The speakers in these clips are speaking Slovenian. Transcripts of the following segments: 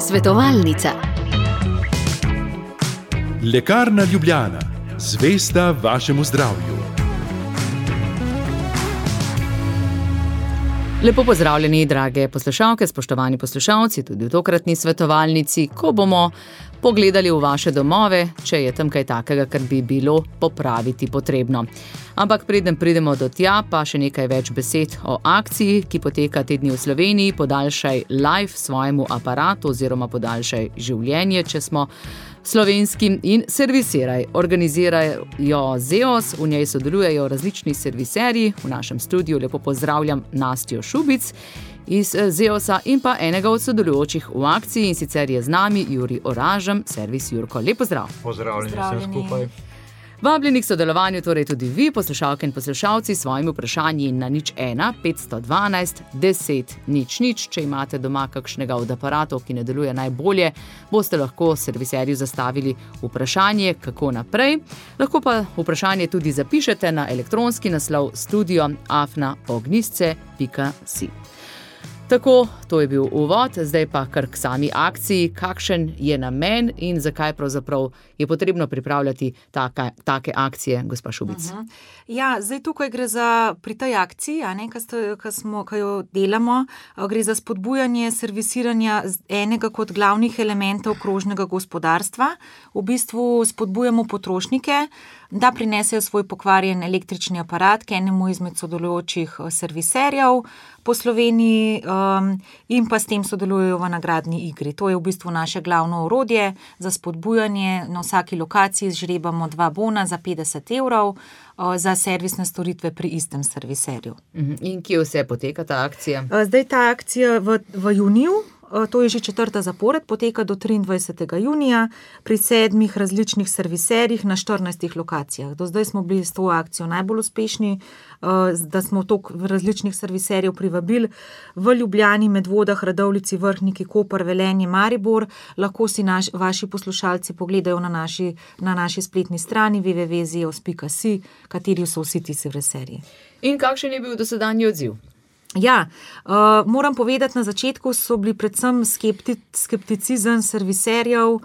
Svetovalnica. Lekarna Ljubljana. Zvesta vašemu zdravju. Lepo pozdravljeni, drage poslušalke, spoštovani poslušalci, tudi v tokratni svetovalnici, ko bomo pogledali v vaše domove, če je tam kaj takega, kar bi bilo popraviti potrebno. Ampak preden pridemo do tja, pa še nekaj več besed o akciji, ki poteka te dni v Sloveniji. Podaljšaj life svojemu aparatu oziroma podaljšaj življenje, če smo slovenski, in servisiraj. Organizirajo ZEOS, v njej sodelujejo različni serviserji. V našem studiu lepo pozdravljam Nastjo Šubic iz ZEOS-a in pa enega od sodelujočih v akciji, in sicer je z nami Jurij Oražem, servis Jurko. Lep pozdrav. Pozdravljeni vsem skupaj. Vabljeni k sodelovanju torej tudi vi, poslušalke in poslušalci, s svojimi vprašanji na 01 512 10 00. Če imate doma kakšnega od aparatov, ki ne deluje najbolje, boste lahko serviserju zastavili vprašanje, kako naprej. Lahko pa vprašanje tudi zapišete na elektronski naslov studio@ognjisce.si. Tako, to je bil uvod, zdaj pa kar k sami akciji. Kakšen je namen in zakaj pravzaprav je potrebno pripravljati take akcije, gospa Šubic? Ja, zdaj tukaj gre za, pri tej akciji, ki jo delamo, gre za spodbujanje servisiranja enega kot glavnih elementov krožnega gospodarstva. V bistvu spodbujamo potrošnike, da prinesejo svoj pokvarjen električni aparat k enemu izmed sodelujočih serviserjev po Sloveniji in pa s tem sodelujejo v nagradni igri. To je v bistvu naše glavno orodje za spodbujanje. Na vsaki lokaciji žrebamo 2 bona za 50 € za servisne storitve pri istem serviserju. In kje vse poteka ta akcija? Zdaj ta akcija v juniju, to je že 4. zapored, poteka do 23. junija pri 7 različnih serviserjih na 14 lokacijah. Do zdaj smo bili s to akcijo najbolj uspešni, da smo toliko različnih serviserjev privabili. V Ljubljani, Medvodah, Radovljici, Vrhniki, Koper, Velenje, Maribor. Lahko si vaši poslušalci pogledajo na naši spletni strani www.zeos.si, kateri so vsi ti serviserji. In kakšen je bil dosedanji odziv? Ja, moram povedati, na začetku so bili predvsem skepticizem serviserjev,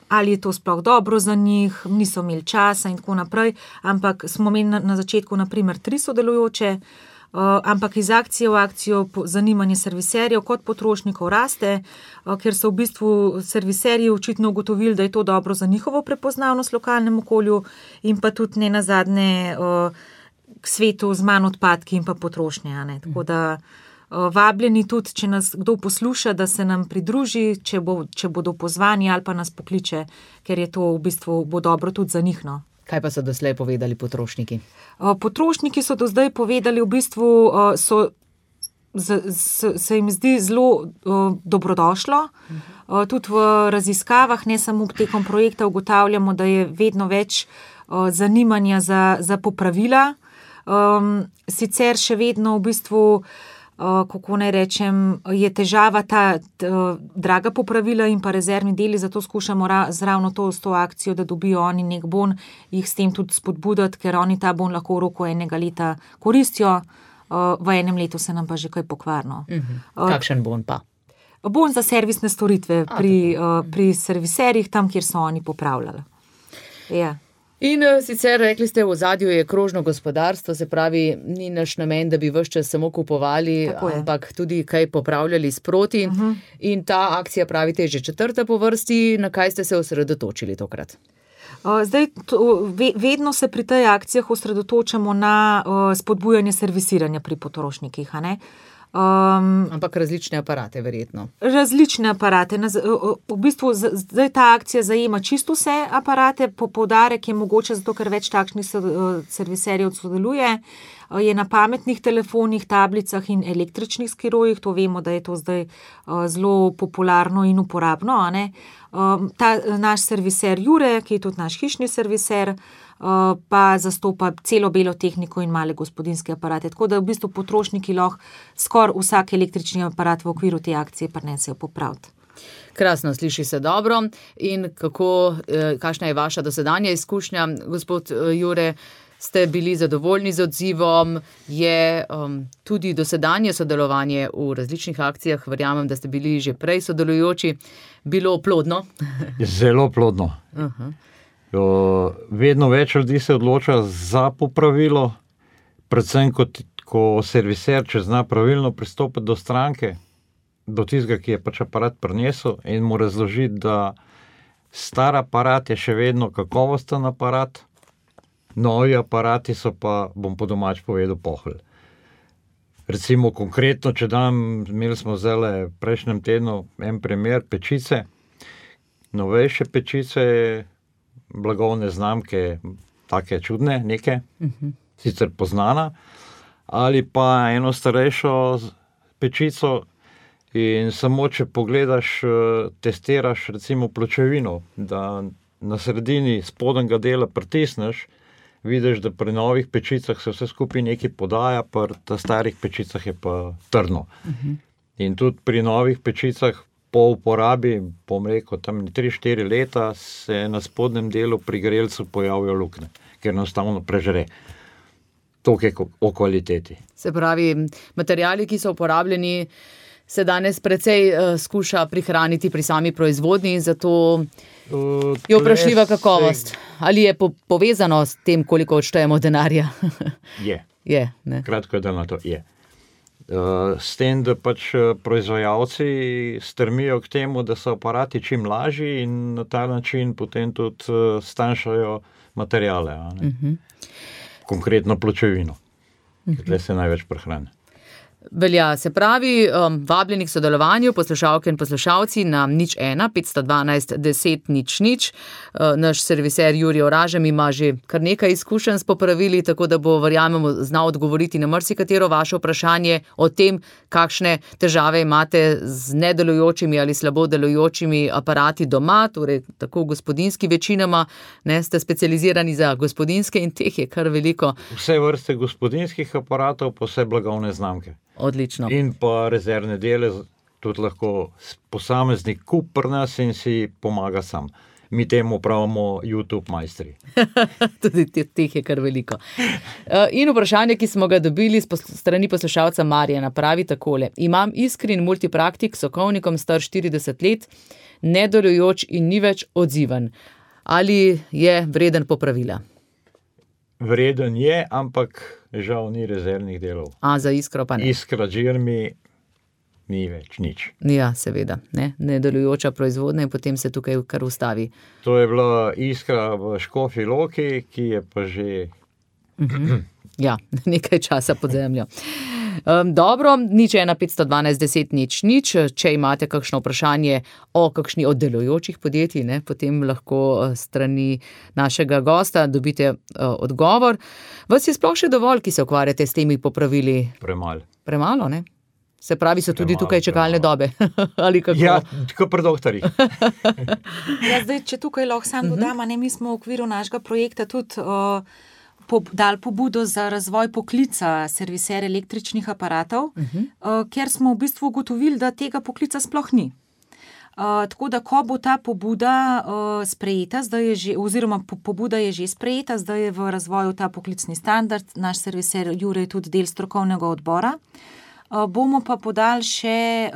ali je to sploh dobro za njih, niso imeli časa in tako naprej, ampak smo imeli na začetku naprimer 3 sodelujoče, ampak iz akcije v akcijo zanimanje serviserjev kot potrošnikov raste, ker so v bistvu serviserji očitno ugotovili, da je to dobro za njihovo prepoznavnost v lokalnem okolju in pa tudi ne nazadnje k svetu z manj odpadki in pa potrošnje. Tako da vabljeni tudi, če nas kdo posluša, da se nam pridruži, če bodo pozvani ali pa nas pokliče, ker je to v bistvu bo dobro tudi za njih. Kaj pa so doslej povedali potrošniki? Potrošniki so do zdaj povedali, v bistvu se jim zdi zelo dobrodošlo. Tudi v raziskavah, ne samo tekom projekta, ugotavljamo, da je vedno več zanimanja za popravila. Sicer še vedno v bistvu, kako naj rečem, je težava ta draga popravila in pa rezervni deli, zato skušamo ravno s to akcijo, da dobijo oni nek bon, jih s tem tudi spodbuditi, ker oni ta bon lahko v roku 1 leta koristijo, v 1 letu se nam pa že kaj pokvarno. Kakšen bon pa? Bon za servisne storitve pri serviserjih, tam, kjer so oni popravljali. Ja. In sicer rekli ste, v ozadju je krožno gospodarstvo, se pravi, ni naš namen, da bi ves čas samo kupovali, ampak tudi kaj popravljali sproti. In ta akcija, pravite, je že 4. po vrsti. Na kaj ste se osredotočili tokrat? Zdaj, vedno se pri tej akcijah osredotočamo na spodbujanje servisiranja pri potrošnikih, ampak različne aparate, verjetno. Različne aparate. V bistvu zdaj ta akcija zajema čisto vse aparate, poudarek je mogoče, zato ker več takšnih serviserjev sodeluje, je na pametnih telefonih, tablicah in električnih skirojih. To vemo, da je to zdaj zelo popularno in uporabno. Ta naš serviser Jure, ki je tudi naš hišni serviser, pa zastopa celo belo tehniko in male gospodinjske aparate. Tako da v bistvu potrošniki lahko skoraj vsak električni aparat v okviru te akcije prinesejo popraviti. Krasno, sliši se dobro. In kakšna je vaša dosedanja izkušnja, gospod Jure, ste bili zadovoljni z odzivom, je tudi dosedanje sodelovanje v različnih akcijah, verjamem, da ste bili že prej sodelujoči, bilo plodno? Zelo plodno. Vedno več ljudi se odloča za popravilo, predvsem ko serviser, če zna pravilno pristopiti do stranke, do tistega, ki je pač aparat prinesel in mu razložiti, da star aparat je še vedno kakovosten aparat, novi aparati so pa, bom po domač povedal, pohol. Recimo konkretno, imeli smo zdaj v prejšnjem tednu en primer pečice, novejše pečice, blagovne znamke, take čudne, neke, sicer poznana, ali pa eno starejšo pečico in samo, če pogledaš, testiraš recimo pločevino, da na sredini spodnjega dela pritisneš, vidiš, da pri novih pečicah se vse skupaj nekaj podaja, pri starih pečicah je pa trdno. In tudi pri novih pečicah po uporabi, bom rekel, tam 3-4 leta se na spodnjem delu pri grelcu pojavijo luknje, ker enostavno prežre. Toliko o kvaliteti. Se pravi, materiali, ki so uporabljeni, se danes precej skuša prihraniti pri sami proizvodnji in zato je vprašljiva kakovost. Ali je povezano s tem, koliko odštejemo denarja? Je. Kratko je, da na to je. S tem, da pač proizvajalci strmijo k temu, da so aparati čim lažji in na ta način potem tudi stanjšajo materiale. Konkretno pločevino, ker se največ prehrani. Velja, se pravi, vabljeni k sodelovanju poslušalke in poslušalci na 01 512 10 00. Naš serviser Jurij Oražem ima že kar nekaj izkušenj s popravili, tako da bo, verjamemo, znal odgovoriti na marsikatero vaše vprašanje o tem, kakšne težave imate z nedelujočimi ali slabo delujočimi aparati doma, torej tako gospodinjski večinoma, ste specializirani za gospodinjske in teh je kar veliko. Vse vrste gospodinjskih aparatov, pa vse blagovne znamke. Odlično. In pa rezervne dele, tudi lahko posameznik kup pri nas in si pomaga sam. Mi temu pravimo YouTube majstri. Tudi teh je kar veliko. In vprašanje, ki smo ga dobili strani poslušalca Marjana, pravi takole. Imam Iskrin multipraktik s sokovnikom star 40 let, nedelujoč in ni več odziven. Ali je vreden popravila? Vreden je, ampak žal ni rezervnih delov. Za Iskro pa ne? Iskra Žirmi ni več nič. Ja, seveda. Nedelujoča proizvodnja in potem se tukaj kar ustavi. To je bila Iskra v Škofji Loki, ki je pa že... Ja, nekaj časa pod zemljo. Dobro, 01 512 10 00. Če imate kakšno vprašanje o kakšni od delujočih podjetij, potem lahko strani našega gosta dobite odgovor. Vas je sploh še dovolj, ki se ukvarjate s temi popravili? Premalo, ne? Se pravi, so tudi tukaj čakalne dobe? Ali kako? Ja, tako pri doktorjih. Zdaj, če tukaj lahko sam dodam, mi smo v okviru našega projekta tudi dali pobudo za razvoj poklica serviser električnih aparatov, ker smo v bistvu ugotovili, da tega poklica sploh ni. Tako da, ko bo ta pobuda sprejeta, pobuda je že sprejeta, zdaj je v razvoju ta poklicni standard, naš serviser Jure je tudi del strokovnega odbora, bomo pa podali še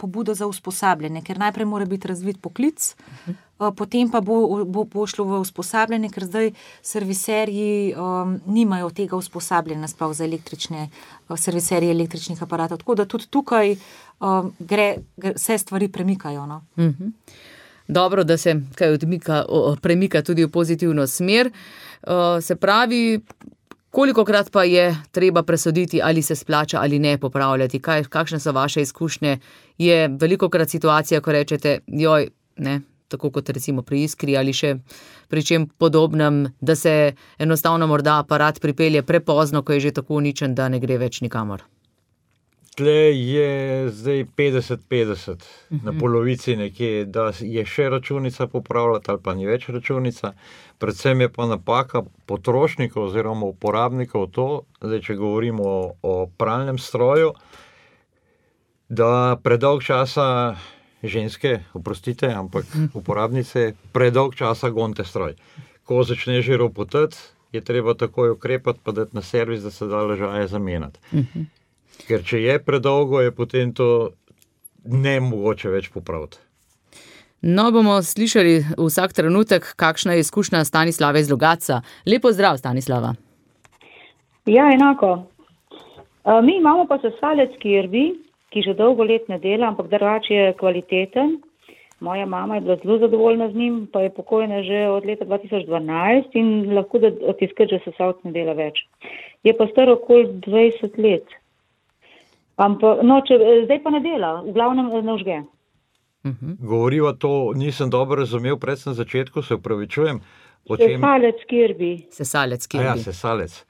pobudo za usposabljanje, ker najprej mora biti razvit poklic, potem pa bo šlo v usposabljanje, ker zdaj serviserji nimajo tega usposabljanja sploh za serviserje električnih aparatov, tako da tudi tukaj vse stvari premikajo. Dobro, da se kaj premika tudi v pozitivno smer. Se pravi, kolikokrat pa je treba presoditi, ali se splača ali ne popravljati? Kakšne so vaše izkušnje? Je velikokrat situacija, ko rečete, tako kot recimo pri Iskri ali še pri čem podobnem, da se enostavno morda aparat pripelje prepozno, ko je že tako uničen, da ne gre več nikamor? Tle je zdaj 50-50, na polovici nekje, da je še računica popravljati ali pa ni več računica. Predvsem je pa napaka potrošnikov oziroma uporabnikov to, zdaj če govorimo o pralnem stroju, da predolg časa ženske, oprostite, ampak uporabnice predolg časa gonite stroj. Ko začne že ropotati, je treba takoj ukrepati, pa dati na servis, da se da ležaje zamenjati. Ker če je predolgo, je potem to nemogoče več popraviti. No, bomo slišali vsak trenutek, kakšna je izkušnja Stanislava iz Logatca. Lepo zdrav, Stanislava. Ja, enako. Mi imamo pa sesalec kirbi, ki že dolgo let ne dela, ampak drugače je kvaliteten. Moja mama je bila zelo zadovoljna z njim, pa je pokojna že od leta 2012 in lahko, da od tiskrat že sesalc ne dela več. Je pa star okoli 20 let. Ampak, no, zdaj pa ne dela, v glavnem ne užge. Govoriva to, nisem dobro razumel, predvsem na začetku, se upravičujem. Sesalec kirbi. Sesalec kirbi. Ja, sesalec.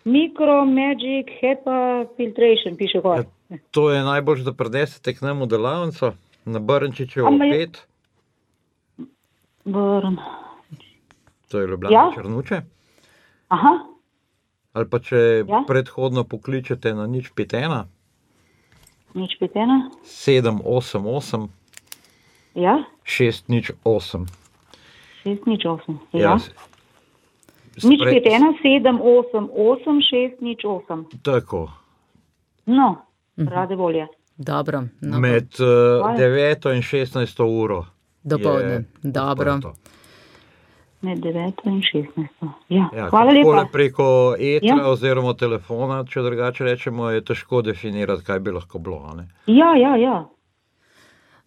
Micro Magic HEPA Filtration, piše gor. Ja, to je najbolj, da prinesete k nam v delavnico, na Brnčičevo 5. To je Ljubljana Črnuče. Aha. Ali pa če predhodno pokličete na 051 788 Ja. 608. 608, Ja. 051 788 608. Tako. No, rade volje. Dobro. No, Med 9 in 16 uro. dopoldne. Dobro. odprto. Med 9 in 16. Ja, Ja, hvala lepa. takole preko etra oziroma telefona, če drugače rečemo, je težko definirati, kaj bi lahko bilo. A ne? Ja.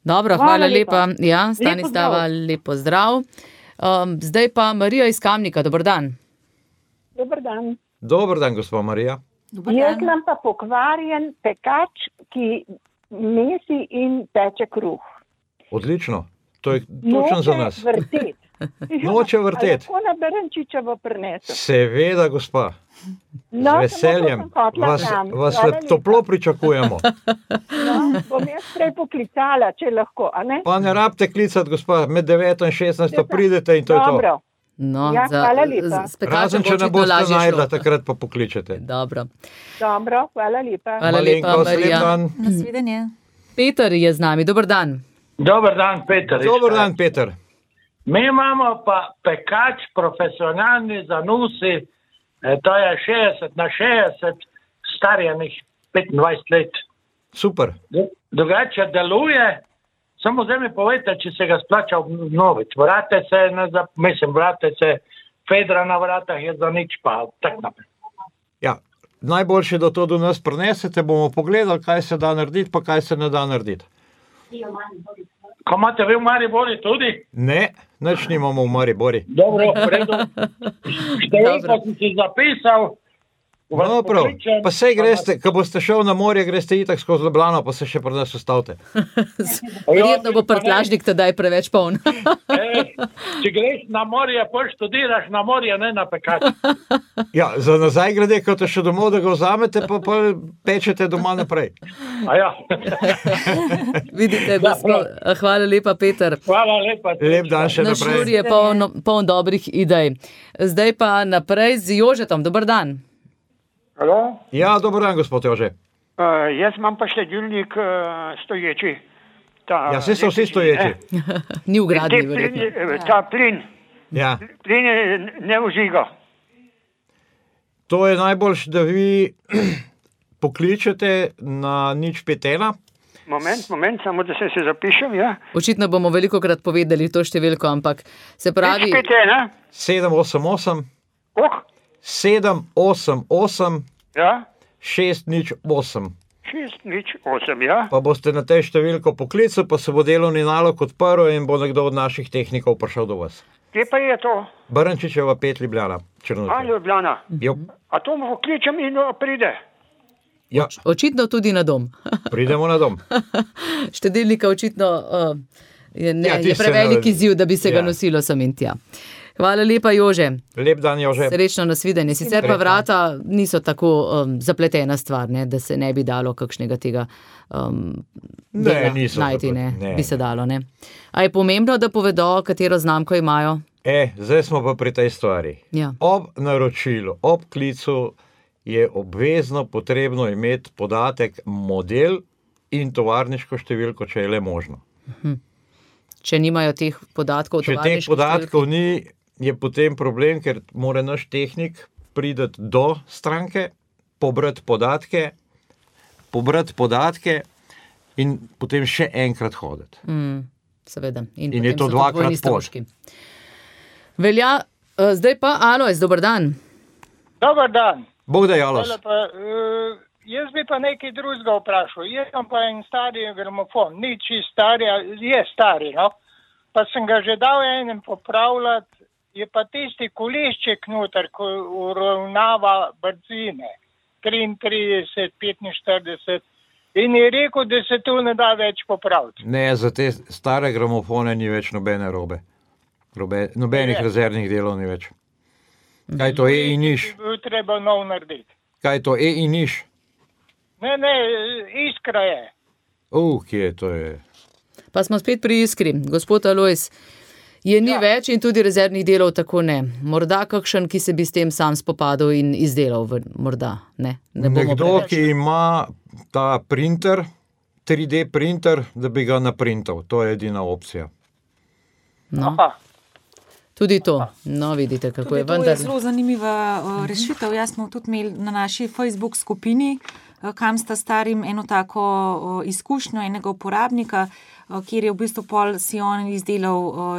Dobro, Hvala hvala lepa. lepa. Ja, Stanislava, lepo zdrav. Zdaj pa Marija iz Kamnika, dober dan. Dober dan. Dober dan, gospod Marija. Jaz imam pa pokvarjen pekač, ki mesi in peče kruh. Odlično. To je točno za nas. Vrtet. Noče vrtet. Lahko na Brnčičevo prinesem. Seveda, gospa. No, Z veseljem. Vas toplo pričakujemo. No, bom jaz prej poklicala, če lahko, a ne? Pa ne rabite klicati, gospa, med 9 in 16 pridete in to je to. Dobro. No, Ja, hvala lepa. Razen, če ne boste najdla, takrat pa pokličete. Dobro. Dobro, hvala lepa. Hvala lepa, Malenkost, lep Marija. dan. Nasvidenje. Peter je z nami, dober dan. Dober dan, Peter. Dober dan, Peter. Mi imamo pa pekač profesionalni za nusi, to je 60 na 60, starjenih 25 let. Super. Drugače deluje, samo zdaj mi povejte, če se ga splača obnoviti. Vrate se, fedra na vratah je za nič, pa tak naprej. Ja, najboljše, da to do nas prinesete, bomo pogledali, kaj se da narediti, pa kaj se ne da narediti. Ko imate vi v Maribori tudi? Ne, nič nimamo v Maribori. Dobro, v redu. Številko sem si zapisal. vas No, prav. pokličem, Pa sej greste, ko boste šel na morje, greste itak skozi Ljubljano, pa se še pri nas ustavite. Verjetno bo prtljažnik tedaj preveč poln. Če greš na morje, pa študiraš na morje, ne na pekač. Ja, za nazaj grede, ko te še domov, da ga vzamete, pa pečete doma naprej. A ja. Vidite, gospod, hvala lepa, Peter. Hvala lepa. Lep dan še Naš naprej. Jur je poln dobrih idej. Zdaj pa naprej z Jožetom. Dober dan. Halo? Ja, dober dan, gospod Jože. Jaz imam pa štedilnik stoječi. Ja, vse so vsi stoječi. Ni v gradnji, verjetno. Ta plin. Ja. Plin ne vžiga. To je najboljše, da vi pokličete na 051. Moment, samo da se zapišem, ja. Očitno bomo velikokrat povedali to številko, ampak se pravi... 788 Oh, 788 ja. 608. 608, ja. Pa boste na tej številko poklicali, pa se bo delovni nalog odprl in bo nekdo od naših tehnikov prišel do vas. Kje pa je to? Brnčičeva 5, Ljubljana, Črnuče. Ljubljana. Jo. A to mu pokličem in pride. Ja, Očitno tudi na dom. pridemo na dom. Štedilnika očitno je tiste prevelik izziv, da bi se ga Ja. nosilo sem in tja. Hvala lepa, Jože. Lep dan, Jože. Srečno nasvidenje. Sicer pa vrata niso tako zapletena stvar, ne, da se ne bi dalo kakšnega tega dela niso najti. ne. Bi se dalo. Ne. A je pomembno, da povedo, katero znamko imajo? Zdaj smo pa pri tej stvari. Ja. Ob naročilu, ob klicu je obvezno potrebno imeti podatek, model in tovarniško številko, če je le možno. Če nimajo teh podatkov, Če teh podatkov ni, je potem problem, ker mora naš tehnik priti do stranke, pobrati podatke in potem še enkrat hoditi. Seveda. In je to dvakrat pot. Velja, zdaj pa Alojz, dober dan. Dobar dan. Bog da, Alojz. Jaz bi pa nekaj drugega vprašal. Jaz sem pa en stari gramofon, ni čist stari, je stari, no. Pa sem ga že dal enem popravljati, je pa tisti kolešček noter, ko uravnava brzine, 33, 45, in je rekel, da se to ne da več popraviti. Ne, za te stare gramofone ni več nobene robe. Nobenih rezervnih delov ni več. Kaj to je in niš? Bi treba nov narediti. Kaj to je in niš? Ne, Iskra je. Kje to je? Pa smo spet pri Iskri. Gospod Alojz, je ni več in tudi rezervnih delov tako ne. Morda kakšen, ki se bi s tem sam spopadal in izdelal, morda, ne? Nekdo, ki ima ta printer, 3D printer, da bi ga naprintal. To je edina opcija. No. Tudi to. No, vidite, kako je vendar. To je zelo zanimiva rešitev. Jaz smo tudi imeli na naši Facebook skupini, kam sta starim eno tako izkušnjo enega uporabnika, kjer je v bistvu pol si on izdelal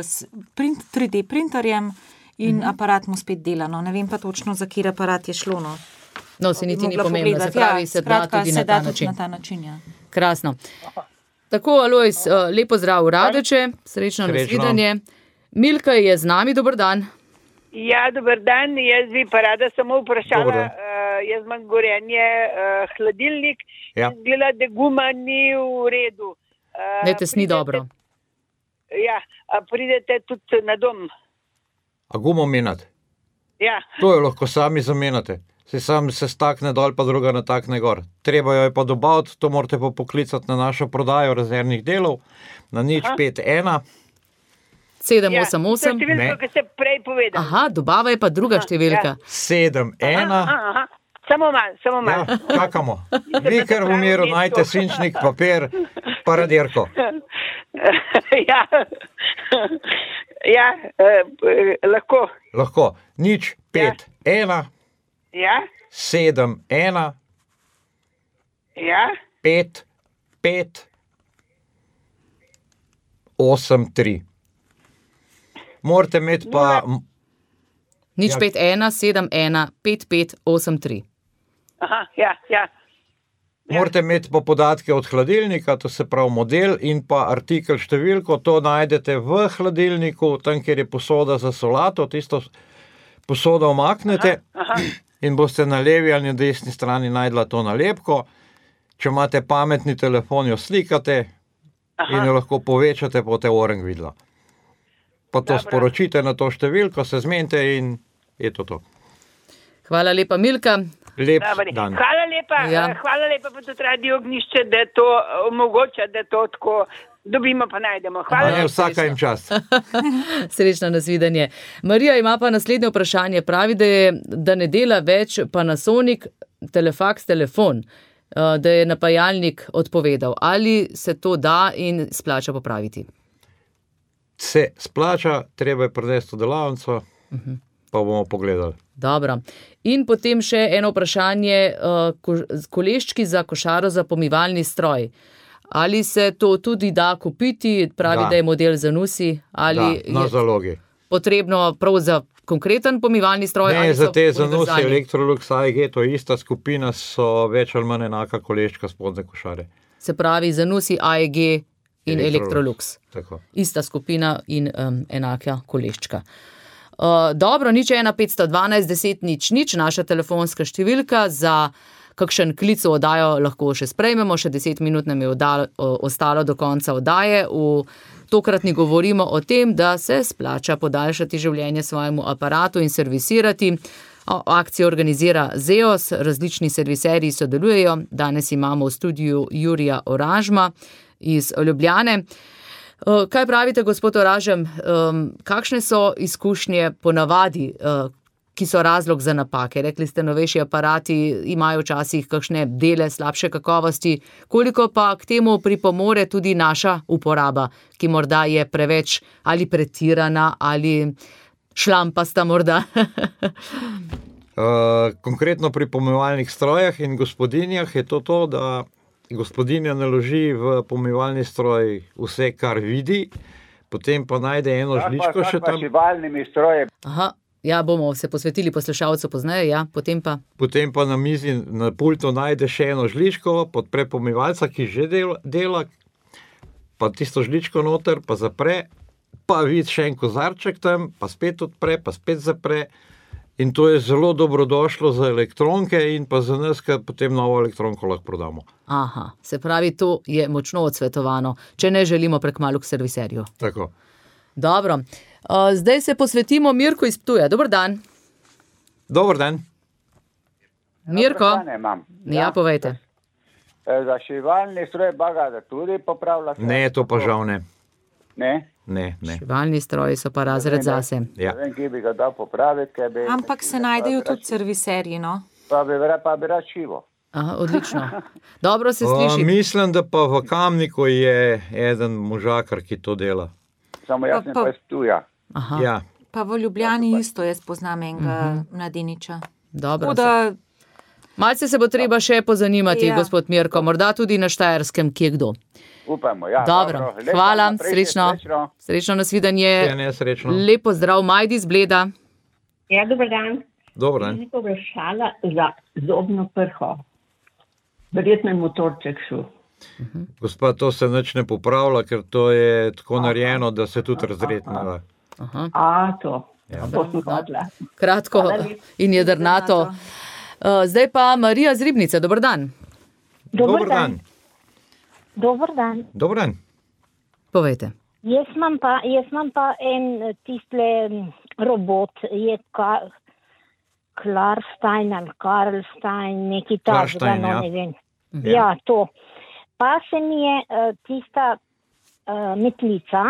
3D printerjem in aparat mu spet dela. No, ne vem pa točno, za kjer aparat je šlo. No, se niti ni pomembno. Se pravi, se da tudi na ta način. Ja. Krasno. Tako, Alojz, lepo zdrav v Radeče, srečno nasvidenje. Milka je z nami, dober dan. Ja, dober dan, jaz bi pa rada samo vprašala, jaz imam gorenje hladilnik, izgleda, da guma ni v redu. Ne, tesni dobro. Ja, a pridete tudi na dom. A gumo menjati? Ja. To jo lahko sami zamenjate. Sam se stakne dol, pa druga natakne gor. Treba jo je pa dobaviti, to morate pa poklicati na našo prodajo rezervnih delov, na 051 788. Številka, ki ste prej povedali. Aha, dobava je pa druga številka. 71. Samo malo. Ja, čakamo. Vi kar v miru najte svinčnik, papir, pa radirko. Ja, lahko. Lahko. 051 71 55 83. Morate imeti pa... 051 71 55 83. Aha, ja. Morate imeti pa podatke od hladilnika, to se pravi model in pa artikel številko, to najdete v hladilniku, tam, kjer je posoda za solato, tisto posodo omaknete in boste na levi ali na desni strani najdla to nalepko. Če imate pametni telefon, jo slikate in jo lahko povečate, boste orang videla. Pa to sporočite na to številko, se zmenite in je to. Hvala lepa, Milka. Lep dan. Hvala lepa pa tudi Radio Ognjišče, da to omogoča, da to tako dobimo pa najdemo. Hvala lepa. Vsaka jim čast. Srečno nasvidenje. Marija ima pa naslednje vprašanje. Pravi, da ne dela več Panasonic Telefax telefon, da je napajalnik odpovedal. Ali se to da in splača popraviti? Se splača, treba je prinesti v delavnico, pa bomo pogledali. Dobro. In potem še eno vprašanje, koleščki za košaro za pomivalni stroj. Ali se to tudi da kupiti, pravi, da je model Zanussi, ali na zalogi. Potrebno prav za konkreten pomivalni stroj? Ne, za te Zanussi, Electrolux, AEG, to je ista skupina, so več ali manj enaka koleščka spodne košare. Se pravi Zanussi, AEG in Electrolux. Tako. Ista skupina in enaka koleščka. Dobro, 01512 10 00, naša telefonska številka, za kakšen klic v oddajo lahko še sprejmemo, še 10 minut nam je ostalo do konca oddaje. Tokratni govorimo o tem, da se splača podaljšati življenje svojemu aparatu in servisirati. Akcijo organizira ZEOS, različni serviserji sodelujejo. Danes imamo v studiu Jurija Oražma iz Ljubljane. Kaj pravite, gospod Oražem, kakšne so izkušnje ponavadi, ki so razlog za napake? Rekli ste, novejši aparati imajo včasih kakšne dele slabše kakovosti. Koliko pa k temu pripomore tudi naša uporaba, ki morda je preveč ali pretirana ali Šlampasta morda. Konkretno pri pomivalnih strojah in gospodinjah je to, da gospodinja naloži v pomivalni stroj vse, kar vidi, potem pa najde eno žličko še tam. Pomivalnimi stroji. Aha, ja, bomo se posvetili poslušalcu pozneje, ja, potem pa na mizi, na pultu najde še eno žličko, podpre pomivalca, ki že dela, pa tisto žličko noter, pa zapre, pa vidi še en kozarček tam, pa spet odpre, pa spet zapre. In to je zelo dobrodošlo za elektronke in pa za nas, ker potem novo elektronko lahko prodamo. Aha, se pravi, to je močno odsvetovano, če ne želimo prekmalu k serviserju. Tako. Dobro. Zdaj se posvetimo Mirku iz Ptuja. Dober dan. Dober dan. Mirko? Ja, povejte. Za šivalni stroj baga tudi popravlja? Ne, to pa žal ne. Ne? Ne. Šivalni stroji so pa razred zase. Ja. Ne vem, ki bi ga dal popraviti. Ampak se najdejo tudi serviserji, no? Pa bi rad šivo. Aha, odlično. Dobro se sliši. Mislim, da pa v Kamniku je eden možakar, ki to dela. Samo jaz ne pa iz Ptuja. Aha. Ja. Pa v Ljubljani isto jaz poznam enega mladeniča. Dobro. Malce se bo treba še pozanimati, gospod Mirko, morda tudi na Štajerskem, kje kdo. Upajmo, ja. Dobro, hvala, srečno. Srečno, nasvidenje. Lep pozdrav, Majdi iz Bleda. Ja, dober dan. Dober dan. Jaz bi vprašala za zobno prho. Verjetno je motorček šel. Gospa, to se nič ne popravlja, ker to je tako narejeno, da se tudi razredne. To. Ja. To sem hodila. Kratko in jedrnato. Zdaj pa Marija z Ribnice, dober dan. Dober dan. Dober dan. Dober dan. Povejte. Jaz imam pa en tistle robot, je Klarstein ali Karlstein, neki takega, no ne vem. Ja, to. Pa se mi je tista metlica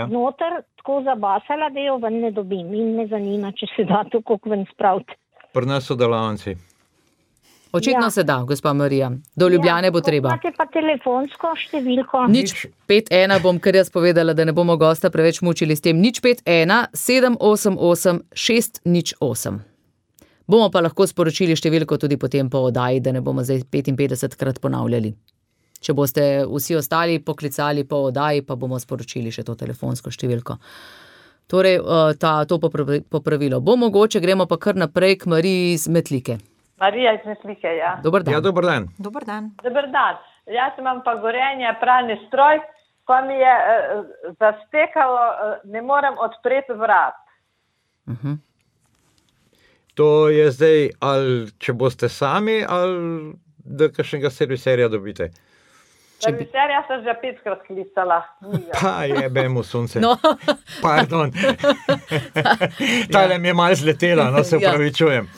noter tako zabasala, da jo ven ne dobim in me zanima, če se da to kako ven spraviti. Pri nas so delavnici. Očitno se da, gospa Marija. Do Ljubljane bo treba. Imate pa telefonsko številko? 051 bom kar jaz povedala, da ne bomo gosta preveč mučili s tem. 051 788 608. Bomo pa lahko sporočili številko tudi potem po oddaji, da ne bomo zdaj 55krat ponavljali. Če boste vsi ostali poklicali po oddaji, pa bomo sporočili še to telefonsko številko. Torej, to popravilo bo mogoče, gremo pa kar naprej k Mariji iz Metlike. Marija iz Metlike, ja. Dober dan. Ja, dober dan. Dober dan. Dober dan. Jaz imam pa Gorenje pralni stroj, ko mi je zastekalo, ne morem odpreti vrat. To je zdaj, ali če boste sami, ali da kakšnega serviserja dobite? Serviserja sem že 5krat klicala. Pa jebemo sonce. No. Pardon. Tale mi je malo zletela, no se upravičujem.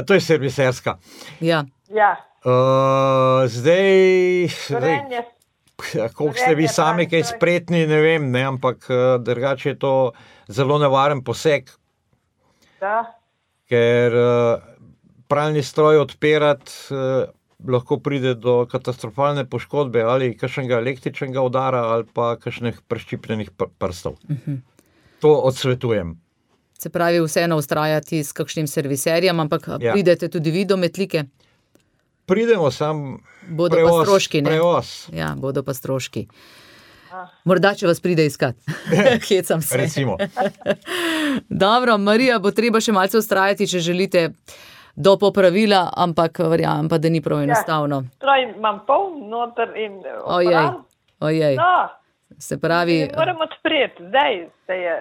To je serviserska. Ja. Zdaj, koliko ste vi sami kaj spretni, ne vem, ne, ampak drugače je to zelo nevaren poseg. Da. Ker pralni stroj odpirati lahko pride do katastrofalne poškodbe ali kakšnega električnega udara ali pa kakšnih preščipljenih prstov. To odsvetujem. Se pravi, vseeno ustrajati s kakšnim serviserjem, ampak pridete tudi vi do Metlike? Pridemo, sam bodo pa stroški, ne? Prevoz. Ja, bodo pa stroški. Morda, če vas pride iskat. Hecam se. Recimo. Dobro, Marija, bo treba še malce ustrajati, če želite do popravila, ampak verjamem pa, da ni prav enostavno. Stroj imam poln noter in Ojej. No. Se pravi... Ne moram odpreti, zdaj se je...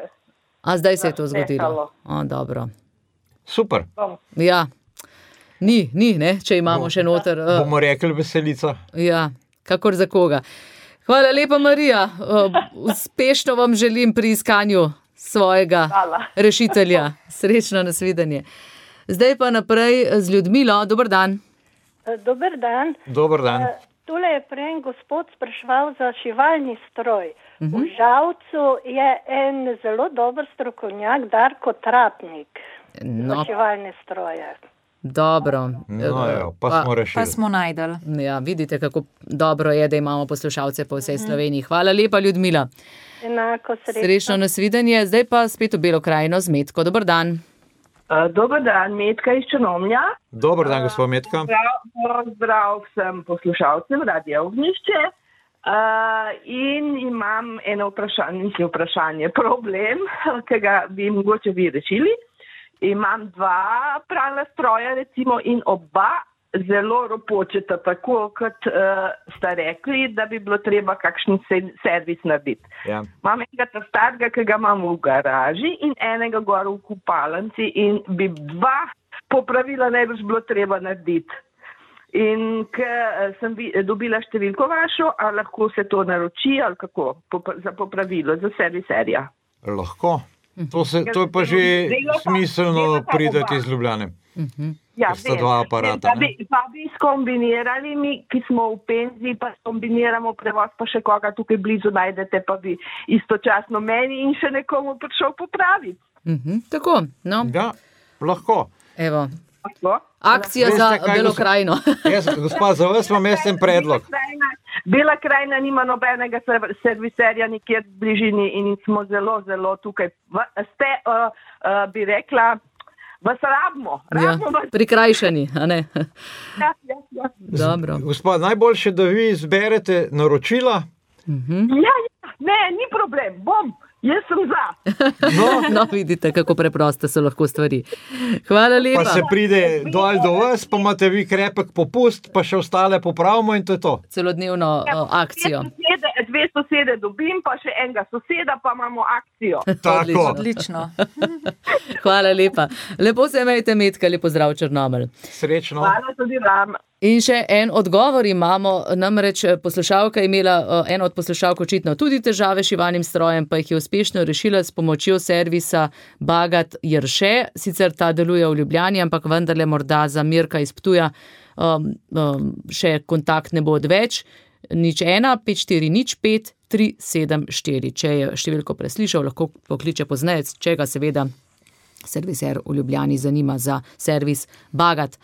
Zdaj se je to zgodilo. Dobro. Super. Ja. Ni, ne, če imamo še noter. Bomo rekli veselica. Ja, kakor za koga. Hvala lepa, Marija. Uspešno vam želim pri iskanju svojega rešitelja. Srečno nasvidenje. Zdaj pa naprej z Ljudmilo. Dober dan. Dober dan. Dober dan. Tule je prej gospod spraševal za šivalni stroj. V Žalcu je en zelo dober strokovnjak, Darko Tratnik, za šivalne stroje. Dobro. Pa smo rešili. Pa smo najdeli. Ja, vidite, kako dobro je, da imamo poslušalce po vsej Sloveniji. Hvala lepa, Ljudmila. Enako, srečno. Srečno, nasvidenje. Zdaj pa spet v Belo krajino z Metko. Dober dan. Dober dan, Metka iz Črnomlja. Dober dan, gospod Metka. Zdrav vsem poslušalcem Radia Ognjišče. In imam eno vprašanje, problem, ki ga bi mogoče vi rešili. Imam 2 pralna stroja recimo in oba zelo ropočeta, tako kot sta rekli, da bi bilo treba kakšen servis narediti. Ja. Imam enega starega, ki ga imam v garaži in enega gor v kupalnici in bi 2 popravila najbrž bilo treba narediti. In ker sem dobila številko vašo, ali lahko se to naroči ali kako za popravilo, za serviserja? Lahko. To je pa že smiselno prideti iz Ljubljane. Ja, sta 2 aparata. Pa bi skombinirali mi, ki smo v penziji, pa skombiniramo prevoz, pa še koga tukaj blizu najdete, pa bi istočasno meni in še nekomu prišel popraviti. Tako, no. Ja, lahko. Evo. Akcija za Belo krajino. Gospa, za vas imam en predlog. Bela krajina nima nobenega serviserja nikjer v bližini in smo zelo, zelo tukaj. Ste, bi rekla, vas rabimo. Prikrajšani, a ne? Ja. Dobro. Gospa, najboljše, da vi izberete naročila. Ja, ne, ni problem, bom. Jaz sem za. No, vidite, kako preproste so lahko stvari. Hvala lepa. Pa se pride dol do vas, pa imate vi krepek popust, pa še ostale popravimo in to je to. Celodnevno akcijo. 2 sosede dobim, pa še enega soseda, pa imamo akcijo. Tako. Odlično. Hvala lepa. Lepo se imejte, Metka, lepo zdrav Črnomelj. Srečno. Hvala tudi vam. In še en odgovor imamo, namreč poslušalka je imela, ena od poslušalk očitno tudi težave s šivalnim strojem, pa jih je uspešno rešila s pomočjo servisa Bagat Jerše. Sicer ta deluje v Ljubljani, ampak vendarle morda za Mirka iz Ptuja še kontakt ne bo odveč. 01 5405 374. Če je številko preslišal, lahko pokliče pozneje, če ga seveda serviser v Ljubljani zanima za servis Bagat.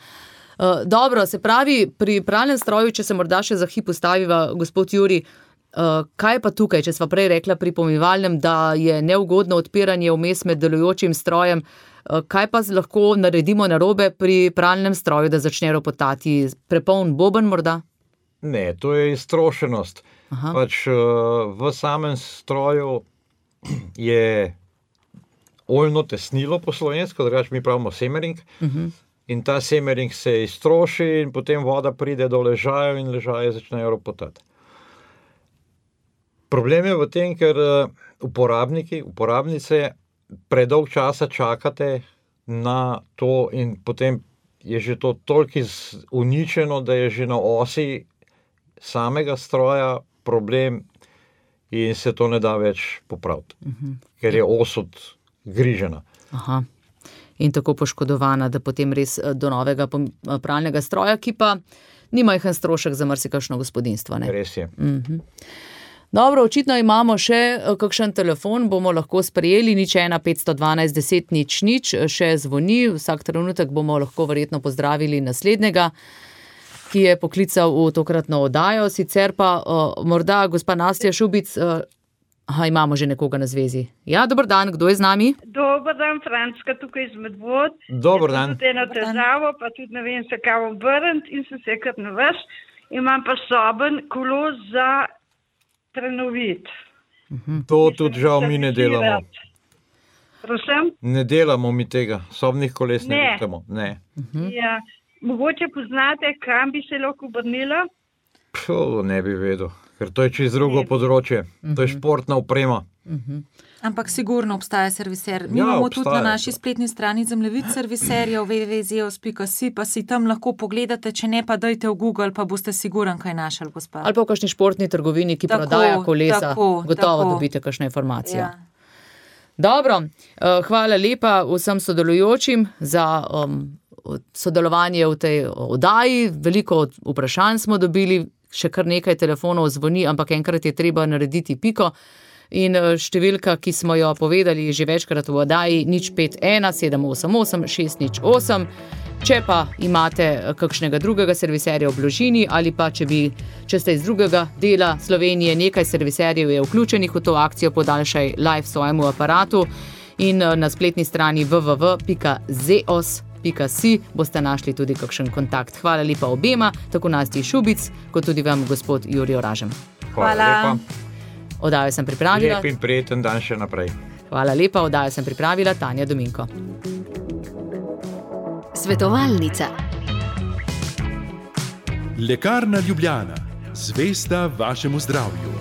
Dobro, se pravi, pri pralnem stroju, če se morda še za hip ustaviva, gospod Juri, kaj pa tukaj, če sva prej rekla pri pomivalnem, da je neugodno odpiranje vmes med delujočim strojem, kaj pa lahko naredimo narobe pri pralnem stroju, da začne ropotati? Prepoln boben morda? Ne, to je iztrošenost. Pač v samem stroju je oljno tesnilo po slovensko, drugače mi pravimo semering. In ta semering se iztroši in potem voda pride do ležajev in ležaje začnejo ropotati. Problem je v tem, ker uporabnice predolg časa čakate na to in potem je že to toliko uničeno, da je že na osi samega stroja problem in se to ne da več popraviti, ker je os odgrižena. In tako poškodovana, da potem res do novega pralnega stroja, ki pa ni majhen strošek za marsikakšno gospodinjstvo. Ne? Res je. Dobro, očitno imamo še kakšen telefon, bomo lahko sprejeli, 01 512 10 00, še zvoni, vsak trenutek bomo lahko verjetno pozdravili naslednjega, ki je poklical v tokratno oddajo, sicer pa morda gospa Nastja Šubic, imamo že nekoga na zvezi. Ja, dober dan, kdo je z nami? Dober dan, Frančka, tukaj iz Medvod. Dober dan. Tudi eno težavo, pa tudi ne vem se kaj obrniti in sem se kar na vas. Imam pa soben kolo za prenoviti. To tudi žal mi ne delamo. Prosim? Ne delamo mi tega, sobnih koles ne delamo. Ne. Ja, mogoče poznate, kam bi se lahko obrnila? Ne bi vedel. Ker to je čez drugo področje. To je športna oprema. Ampak sigurno obstaja serviser. Mi imamo tudi na naši spletni strani zemljevid serviserjev www.zeos.si, pa si tam lahko pogledate, če ne pa dajte v Google, pa boste siguren kaj našli, gospa. Ali pa v kakšni športni trgovini, ki prodaja kolesa, gotovo dobite kakšno informacijo. Ja. Dobro, hvala lepa vsem sodelujočim za sodelovanje v tej oddaji. Veliko vprašanj smo dobili, še kar nekaj telefonov zvoni, ampak enkrat je treba narediti piko. In številka, ki smo jo povedali že večkrat v oddaji, 051 788 608. Če pa imate kakšnega drugega serviserja v bližini ali pa če ste iz drugega dela Slovenije, nekaj serviserjev je vključenih v to akcijo Podaljšaj life svojemu aparatu in na spletni strani www.zeos.si boste našli tudi kakšen kontakt. Hvala lepa obema, tako Nastji Šubic, kot tudi vam, gospod Jurij Oražem. Hvala lepa. Oddajo sem pripravila. Lep in prijeten dan še naprej. Hvala lepa, oddajo sem pripravila Tanja Dominko. Svetovalnica. Lekarna Ljubljana. Zvesta vašemu zdravju.